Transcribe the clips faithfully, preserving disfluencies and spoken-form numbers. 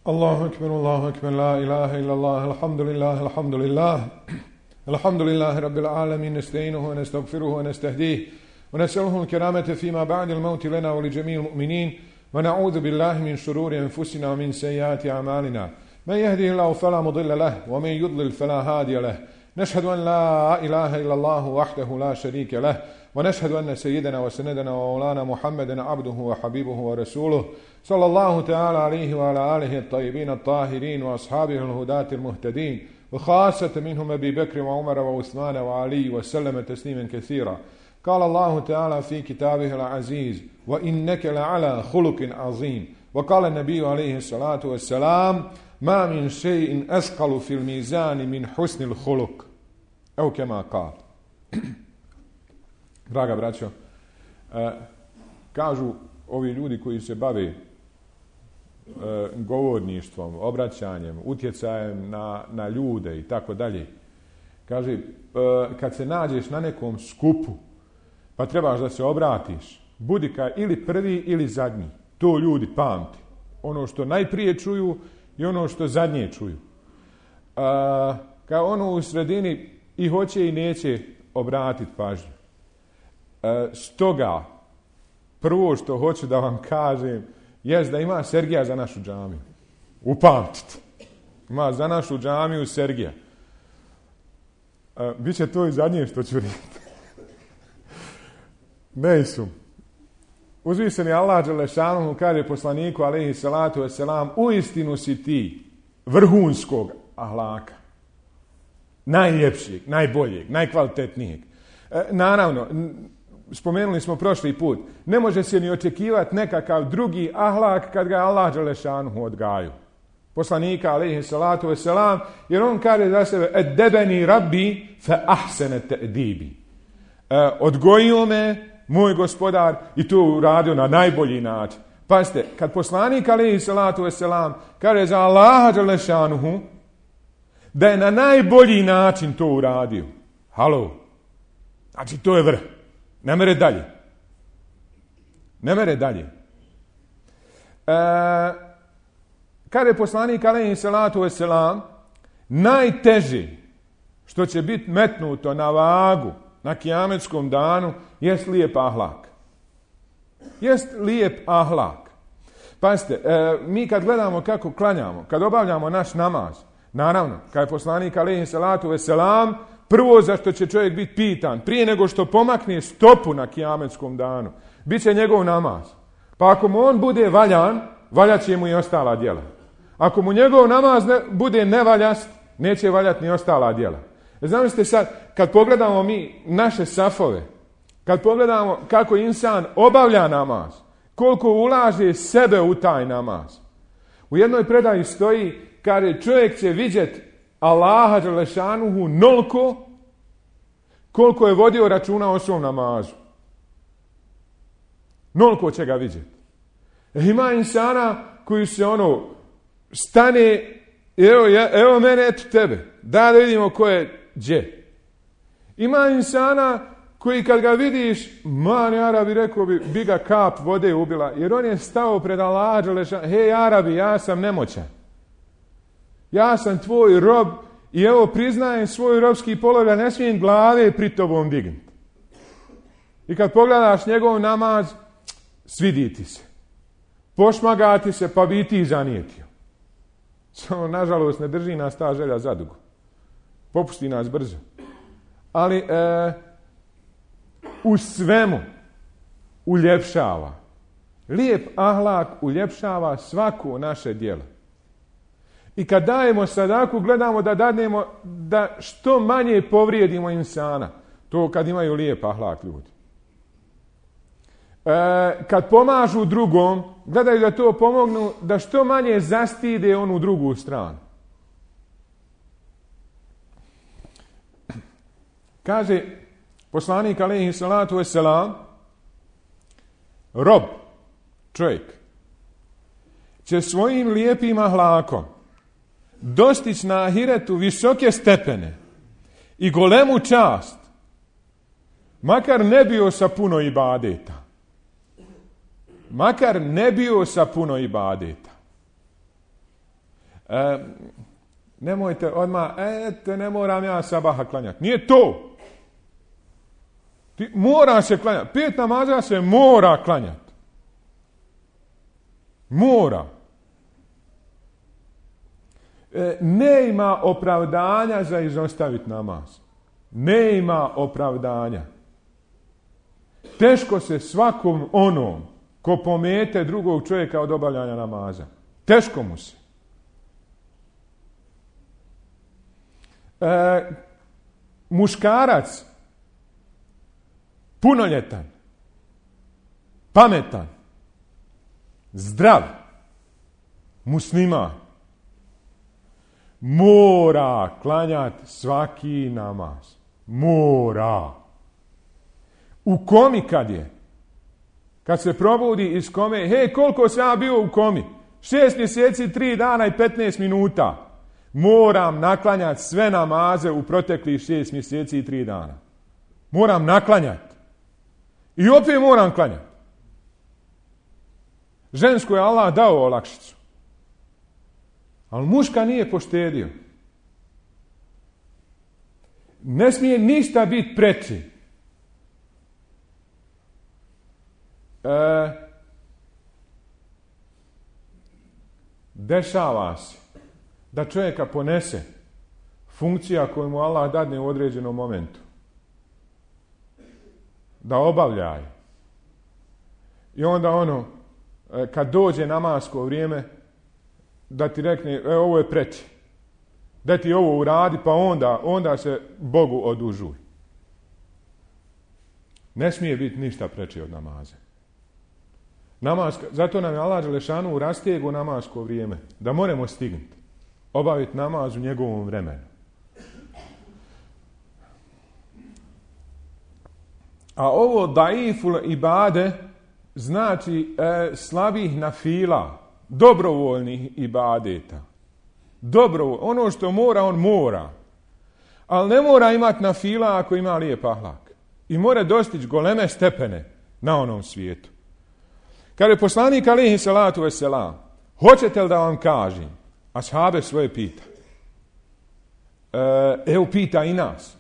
الله أكبر الله أكبر لا إله إلا الله الحمد لله الحمد لله الحمد لله رب العالمين نستعينه ونستغفره ونستهديه ونسأله الكرامة فيما بعد الموت لنا ولجميع المؤمنين ونعوذ بالله من شرور أنفسنا ومن سيئات أعمالنا من يهده الله فلا مضل له ومن يضلل فلا هادي له نشهد أن لا إله إلا الله وحده لا شريك له ونشهد أن سيدنا وسندنا ومولانا محمدا عبده وحبيبه ورسوله صلى الله تعالى عليه وعلى آله الطيبين الطاهرين وأصحابه الهداة المهتدين وخاصة منهم أبي بكر وعمر وعثمان وعلي وسلم تسليما كثيرا. قال الله تعالى في كتابه العزيز وإنك لعلى خلق عظيم. وقال النبي عليه الصلاة والسلام ما من شيء أثقل في الميزان من حسن الخلق أو كما قال. Draga braćo, e, kažu ovi ljudi koji se bave e, govorništvom, obraćanjem, utjecajem na, na ljude i tako dalje. Kaže, e, kad se nađeš na nekom skupu, pa trebaš da se obratiš, budi ka ili prvi ili zadnji. To ljudi pamti. Ono što najprije čuju i ono što zadnje čuju. E, kao ono u sredini i hoće i neće obratiti pažnju. E, stoga, prvo što hoću da vam kažem, jest da ima Sergija za našu džamiju. Upamtite. Ima za našu džamiju Sergija. E, biće to i zadnje što ću reći. Nejsum. Uzviseni Allah dželešanu kaže poslaniku alejhi salatu vesselam, uistinu si ti vrhunskog ahlaka. Najljepšijeg, najboljeg, najkvalitetnijeg. E, naravno, spomenuli smo prošli put, ne može se ni očekivati nekakav drugi ahlak kad ga Allah dželešanu odgaju. Poslanika alejhi salatu vesselam, jer on kaže za sebe edebeni rabbi fa ahsene ta'dibi. E, odgojio me moj gospodar i to uradio na najbolji način. Pazite, kad poslanik alejhi salatu vesselam kaže za Allaha dželešanu da je na najbolji način to uradio. Halo. Znači to je vrh. Ne mere dalje. Ne mere dalje. E, kada je poslanik alejhi salatu vesselam, najteže što će biti metnuto na vagu na kijametskom danu jest lijep ahlak. Jest lijep ahlak. Pazite, e, mi kad gledamo kako klanjamo, kad obavljamo naš namaz, naravno, kada je poslanik alejhi salatu vesselam, prvo za što će čovjek biti pitan, prije nego što pomakne stopu na kijametskom danu, bit će njegov namaz. Pa ako mu on bude valjan, valjat će mu i ostala djela. Ako mu njegov namaz ne, bude nevaljast, neće valjati ni ostala djela. Zamislite sad, kad pogledamo mi naše safove, kad pogledamo kako insan obavlja namaz, koliko ulaže sebe u taj namaz. U jednoj predaji stoji, kaže čovjek će vidjeti Allaha dželešanuhu nolko koliko je vodio računa o svom namazu. Nolko će ga vidjeti. E, ima insana koji se ono stane, evo, evo mene, eto tebe, da da vidimo ko je gdje. Ima insana koji kad ga vidiš, man Arabi, rekao bi, bi ga kap vode ubila, jer on je stao pred Allaha dželešanuhu, hej Arabi, ja sam nemoćan. Ja sam tvoj rob i evo priznajem svoj robski položaj, ne smijem glave pri tobom dignuti. I kad pogledaš njegov namaz, svidi ti se. Pošmaga ti se, pa bi ti zanijetio. Samo, nažalost, ne drži nas ta želja zadugo. Popusti nas brzo. Ali e, u svemu uljepšava. Lijep ahlak uljepšava svako naše djelo. I kad dajemo sadaku, gledamo da dadnemo da što manje povrijedimo insana. To kad imaju lijep ahlak ljudi. E, kad pomažu drugom, gledaju da to pomognu, da što manje zastide onu drugu stranu. Kaže poslanik alejhi salatu vesselam, rob, čovjek, će svojim lijepim ahlakom dostići na ahiretu visoke stepene i golemu čast, makar ne bio sa puno ibadeta. Makar ne bio sa puno ibadeta. E, nemojte odmah, ete, ne moram ja sabaha klanjati. Nije to. Ti mora se klanjati. Pet namaza se mora klanjati. Mora. E, ne ima opravdanja za izostaviti namaz. Ne ima opravdanja. Teško se svakom onom ko pomete drugog čovjeka od obavljanja namaza. Teško mu se. E, muškarac, punoljetan, pametan, zdrav, musliman, mora klanjati svaki namaz. Mora. U komi kad je? Kad se probudi iz kome, hej, koliko sam ja bio u komi? Šest mjeseci, tri dana i petnaest minuta. Moram naklanjati sve namaze u proteklih šest mjeseci i tri dana. Moram naklanjati. I opet moram klanjati. Žensko je Allah dao olakšicu. Ali muška nije poštedio. Ne smije ništa biti preći. E, dešava se da čovjeka ponese funkcija koju mu Allah dadne u određenom momentu. Da obavljaju. I onda ono, kad dođe namasko vrijeme, da ti rekne, e, ovo je preći. Da ti ovo uradi, pa onda, onda se Bogu odužuj. Ne smije biti ništa preći od namaze. Namaska, zato nam je Allah Đelešanu rastegu namasko vrijeme. Da moramo stignuti. Obaviti namaz u njegovom vremenu. A ovo daiful ibade znači e, slabih nafila, dobrovoljnih ibadeta. Dobrovoljno. Ono što mora, on mora. Ali ne mora imati nafila ako ima lijep ahlak. I mora dostići goleme stepene na onom svijetu. Kada je poslanik alejhi salatu vesselam, hoćete li da vam kažem? Ashabe svoje pita. E, evo pita i nas.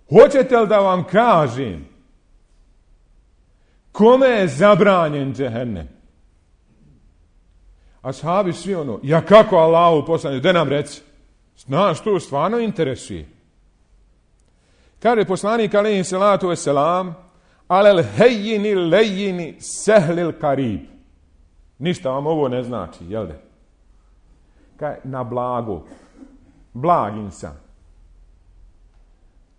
Hoćete li da vam kažem kome je zabranjen džehennem? Ashabi svi ono, ja kako Allahu poslanje, gdje nam reci? Znaš, to stvarno interesuje. Kaže poslanik alejhi salatu vesselam, alel hejjini lejjini sehlil karib. Ništa vam ovo ne znači, jel de? Kaže, na blago, blag insan,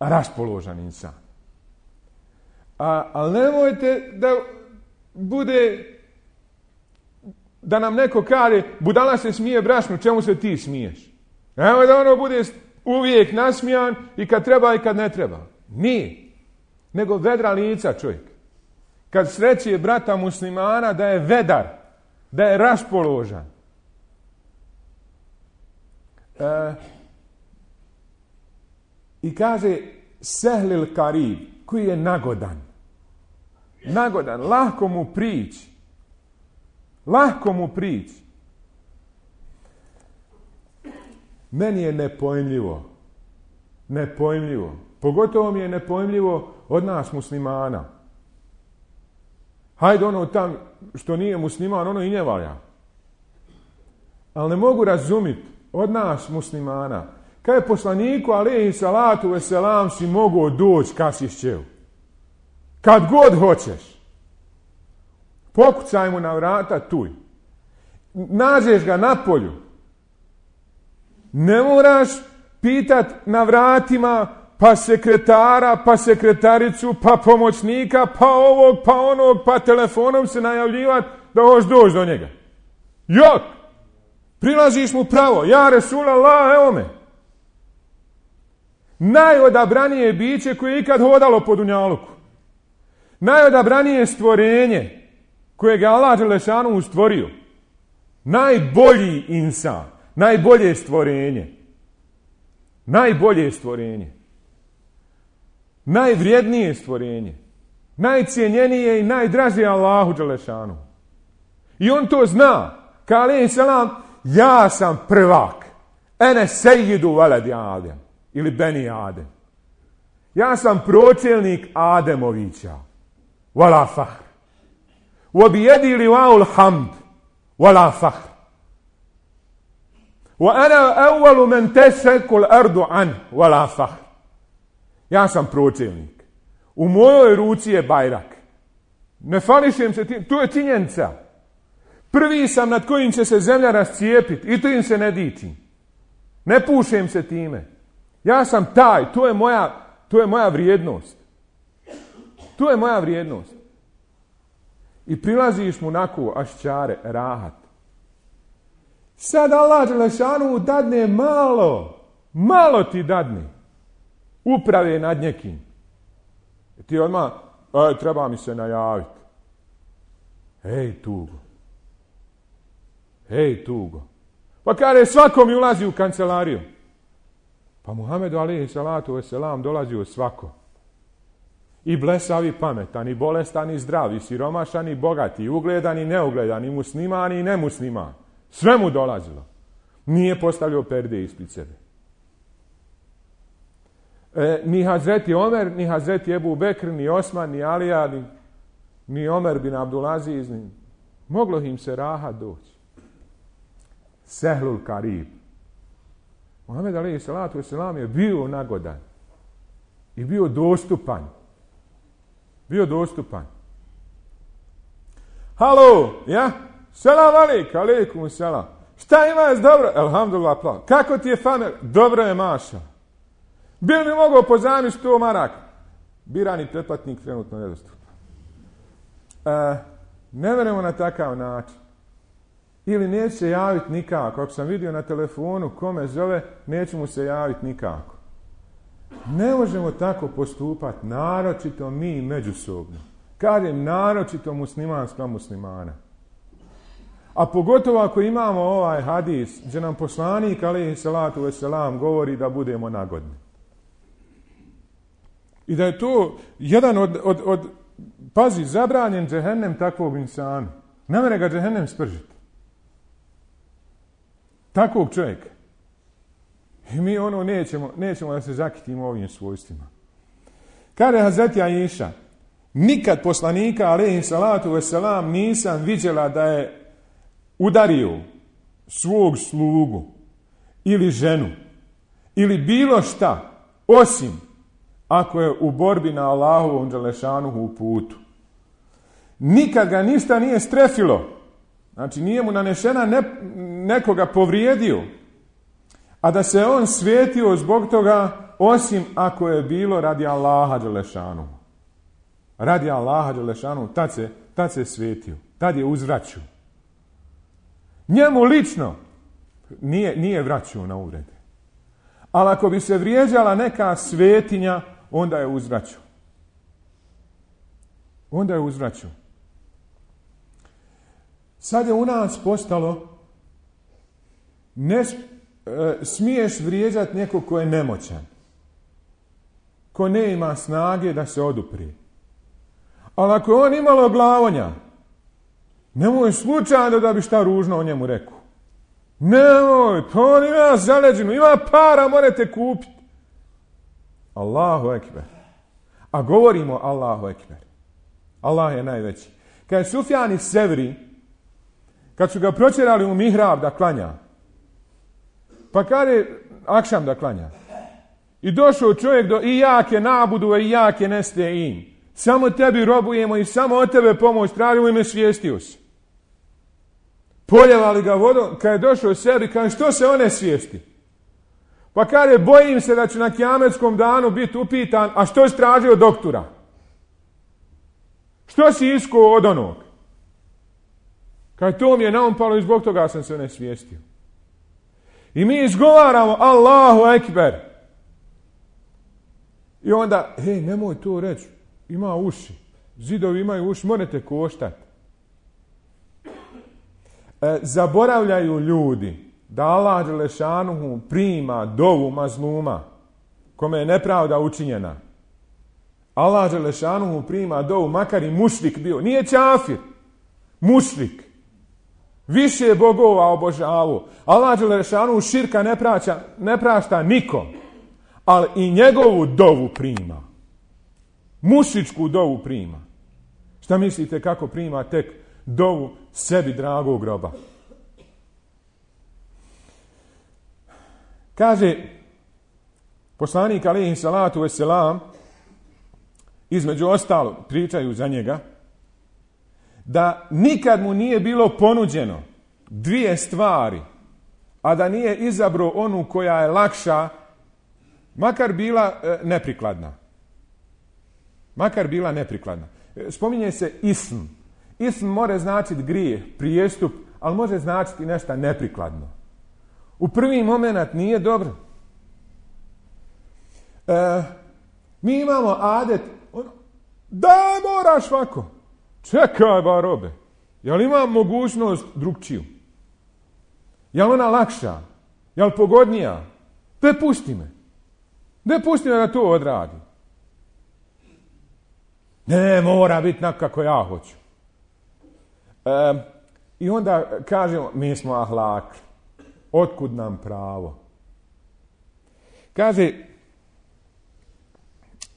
raspoložan insan. A, ali nemojte da bude, da nam neko kaže, budala se smije brašnu, čemu se ti smiješ? Nemoj da ono bude uvijek nasmijan i kad treba i kad ne treba. Nije. Nego vedra lica čovjek. Kad sreće brata muslimana da je vedar, da je raspoložan. E, I kaže sehlil karib, koji je nagodan. Nagodan, lahko mu prići. Lahko mu prići. Meni je nepojmljivo. Nepojmljivo. Pogotovo mi je nepojmljivo od nas muslimana. Hajde ono tam što nije musliman, ono i ne valja. Ali ne mogu razumjeti od nas muslimana. Kad je poslaniku alejhi salatu vesselam si mogao doći kad si šćeo. Kad god hoćeš. Pokucaj mu na vrata tuj. Nađeš ga na polju. Ne moraš pitat na vratima pa sekretara, pa sekretaricu, pa pomoćnika, pa ovog, pa onog, pa telefonom se najavljivati da hoš doći do njega. Jok! Prilaziš mu pravo. Ja, Resulallah, evo me. Najodabranije biće koje je ikad hodalo po dunjaluku. Najodabranije stvorenje koje ga Allah Đelešanu stvorio. Najbolji insan. Najbolje stvorenje. Najbolje stvorenje. Najvrijednije stvorenje. Najcijenjenije i najdražije Allahu Đelešanu. I on to zna. Ka alejhi selam, ja sam prvak. Ene sejidu veledi Adem. Ili Beni Adem. Ja sam pročelnik Ademovića. Vala fahr. وَبِيَدِي لِوَاءُ الْحَمْدِ وَلَا فَخْرٍ وَأَنَا أَوَّلُ مَنْ تَشَكُ الْأَرْضُ عَنْهُ وَلَا فَخْرٍ. Ja sam pročelnik. U mojoj ruci je bajrak. Ne fališem se tim. Tu je činjenica. Prvi sam nad kojim će se zemlja rascijepiti. I to im se ne dičim. Ne pušem se time. Ja sam taj. To je moja, to je moja vrijednost. To je moja vrijednost. I prilaziš mu onako ašćare, rahat. Sad Allah Đelešanu dadne malo, malo ti dadne. Uprave nad njekim. I ti odmah, aj, treba mi se najaviti. Hej, tugo. Hej, tugo. Pa kada svako mi ulazi u kancelariju. Pa Muhammedu alejhi salatu vesselam dolazi u svako. I blesav i pametan, i bolestan i zdrav, i siromašan i bogat, i ugledan i neugledan, i musliman i nemusliman. Sve mu dolazilo. Nije postavljao perde ispred sebe. E, ni Hazreti Omer, ni Hazreti Ebu Bekr, ni Osman, ni Alija, ni, ni Omer bin Abdulaziz, ni, moglo im se rahat doći. Sehlul Karib. Muhammed alejhi salatu vesselam je bio nagodan. I bio dostupan. Bio dostupan. Halo, ja? Selam alejk, alejkum selam. Šta imaš dobro? Elhamdulillah, plav. Kako ti je familja? Dobro je, maša. Bi li mi mogao pozajmiti sto maraka? Birani pretplatnik trenutno nedostupan. E, ne verujemo na takav način. Ili neće se javiti nikako. Ako sam vidio na telefonu kome zove, neće mu se javiti nikako. Ne možemo tako postupati, naročito mi međusobno. Kažem, naročito musliman spram muslimana. A pogotovo ako imamo ovaj hadis, gdje nam poslanik, alejhi salatu vesselam, govori da budemo nagodni. I da je to jedan od, od, od pazi, zabranjen džehennem takvog insana. Ne mere ga džehennem spržiti. Takvog čovjeka. I mi ono nećemo, nećemo da se zakitimo ovim svojstvima. Kaže Hazreti Aisha, nikad poslanika, alejhi salatu vesselam, nisam viđela da je udario svog slugu ili ženu ili bilo šta, osim ako je u borbi na Allahovom dželešanuhu putu. Nikad ga ništa nije strefilo. Znači nije mu nanešena ne, nekoga povrijedio, a da se on svetio zbog toga, osim ako je bilo radi Allaha dželešanuhu. Radi Allaha dželešanuhu, tad se, tad se svetio, tad je uzvraćao. Njemu lično nije, nije vraćao na uvrede. Ali ako bi se vrijeđala neka svetinja, onda je uzvraćao. Onda je uzvraćao. Sad je u nas postalo, ne e, smiješ vrijeđati nekog ko je nemoćan, ko ne ima snage da se oduprije. Ali ako je on imalo glavonja, nemoj slučajno da bi šta ružno o njemu rekao. Nemoj, pa on ima zaleđenu, ima para, morate kupiti. Allahu ekber. A govorimo Allahu ekber. Allah je najveći. Kad je Sufjan Sevri, kad su ga pročerali u mihrab da klanja, pa kad je akšam da klanja, i došao čovjek do i jake nabudu, i jake neste im. Samo tebi robujemo i samo od tebe pomoć tražimo i me svijestio si. Poljevali ga vodom, kad je došao sebi, kaže, što se one svijesti? Pa kaže, bojim se da ću na kijametskom danu biti upitan, a što si tražio doktora? Što si iskao od onog? Kaže, to mi je naumpalo i zbog toga sam se ne svijestio. I mi izgovaramo Allahu ekber. I onda, hej, nemoj to reći, ima uši. Zidovi imaju uši, morate koštati. E, zaboravljaju ljudi da Allah dželešanuhu prima dovu mazluma kome je nepravda učinjena. Allah dželešanuhu prima dovu, makar i mušrik bio. Nije čafir, mušrik. Više bogova obožavu. Allah dželešanu širka ne praća, ne prašta nikom. Ali i njegovu dovu prima. Mušičku dovu prima. Šta mislite kako prima tek dovu sebi dragog roba? Kaže poslanik alejhi salatu vesselam, između ostalo pričaju za njega, da nikad mu nije bilo ponuđeno dvije stvari, a da nije izabrao onu koja je lakša, makar bila e, neprikladna. Makar bila neprikladna. Spominje se ism. Ism može značiti grijeh, prijestup, ali može značiti nešto neprikladno. U prvi moment nije dobro. E, mi imamo adet, ono, da moraš ovako. Čekaj ba robe. Jel imam mogućnost drugčiju? Jel ona lakša? Jel pogodnija? Te pusti me. Ne pusti me da to odradi. Ne, mora biti nak kako ja hoću. E, I onda kažemo, mi smo ahlak. Otkud nam pravo? Kaže,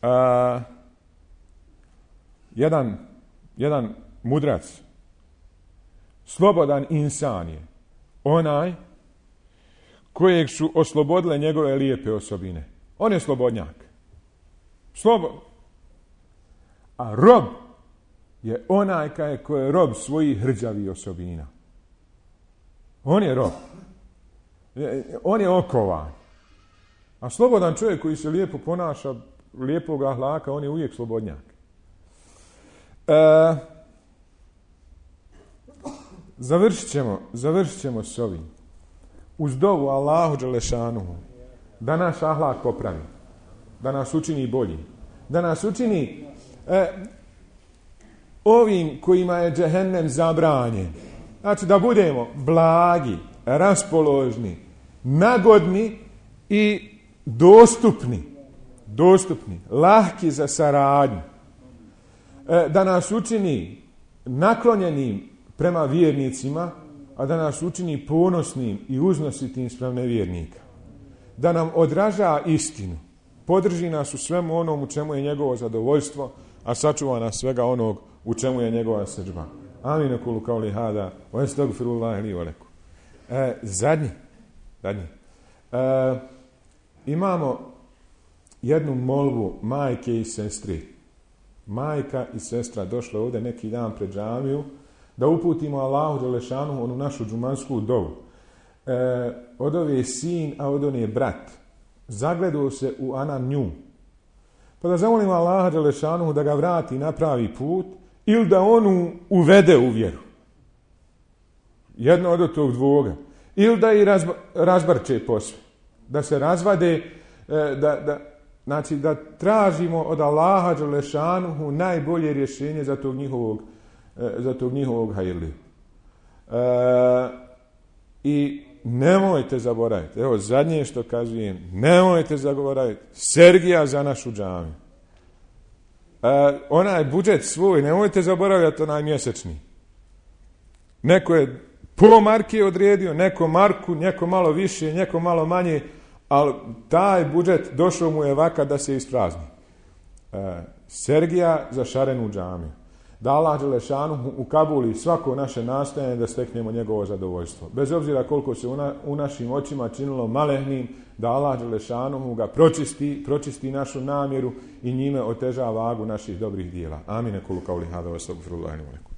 a, jedan, jedan mudrac, slobodan insan je onaj kojeg su oslobodile njegove lijepe osobine. On je slobodnjak. Slobodno. A rob je onaj koji je rob svojih hrđavih osobina. On je rob. On je okovan. A slobodan čovjek koji se lijepo ponaša, lijepog ahlaka, on je uvijek slobodnjak. E, završit ćemo, završit ćemo s ovim. Uz dovu Allahu dželešanuhu da naš ahlak popravi, da nas učini bolji, da nas učini e, ovim kojima je džehennem zabranjen. Znači da budemo blagi, raspoložni, nagodni i dostupni, dostupni, lahki za saradnju. E, da nas učini naklonjenim prema vjernicima, a da nas učini ponosnim i uznositim spram nevjernika. Da nam odraža istinu, podrži nas u svemu onom u čemu je njegovo zadovoljstvo, a sačuva nas svega onog u čemu je njegova srdžba. Amin kulu kauli hada, wa estagfirullahi li wa lakum. E, zadnji, zadnji. E, imamo jednu molbu majke i sestri. Majka i sestra došla ovdje neki dan pred džamiju da uputimo Allahu dželešanu onu našu džumansku dovu. E, od ove je sin, a od one je brat. Zagledao se u ana nju. Pa da zamolimo Allaha dželešanu da ga vrati na pravi put ili da onu uvede u vjeru. Jedno od tog dvoga. Ili da i razba, razbarče posve. Da se razvade, e, da, da, znači da tražimo od Allaha dželešanuhu najbolje rješenje za tog njihovog, e, za tog njihovog hajrliju. E, I nemojte zaboraviti, evo zadnje što kazujem, nemojte zaboraviti, Sergija za našu džamiju. E, onaj budžet svoj, nemojte zaboraviti onaj mjesečni. Neko je po marke odredio, neko marku, neko malo više, neko malo manje, ali taj budžet došao mu je vaka da se isprazni. E, Sergija za šarenu džamiju. Da Allah dželešanu ukabuli svako naše nastojanje da steknemo njegovo zadovoljstvo. Bez obzira koliko se u, na, u našim očima činilo malehnim, da Allah dželešanu ga pročisti, pročisti našu namjeru i njime oteža vagu naših dobrih dijela. Amin. Kulu kauli hada wa astagfirullahi wa lakum.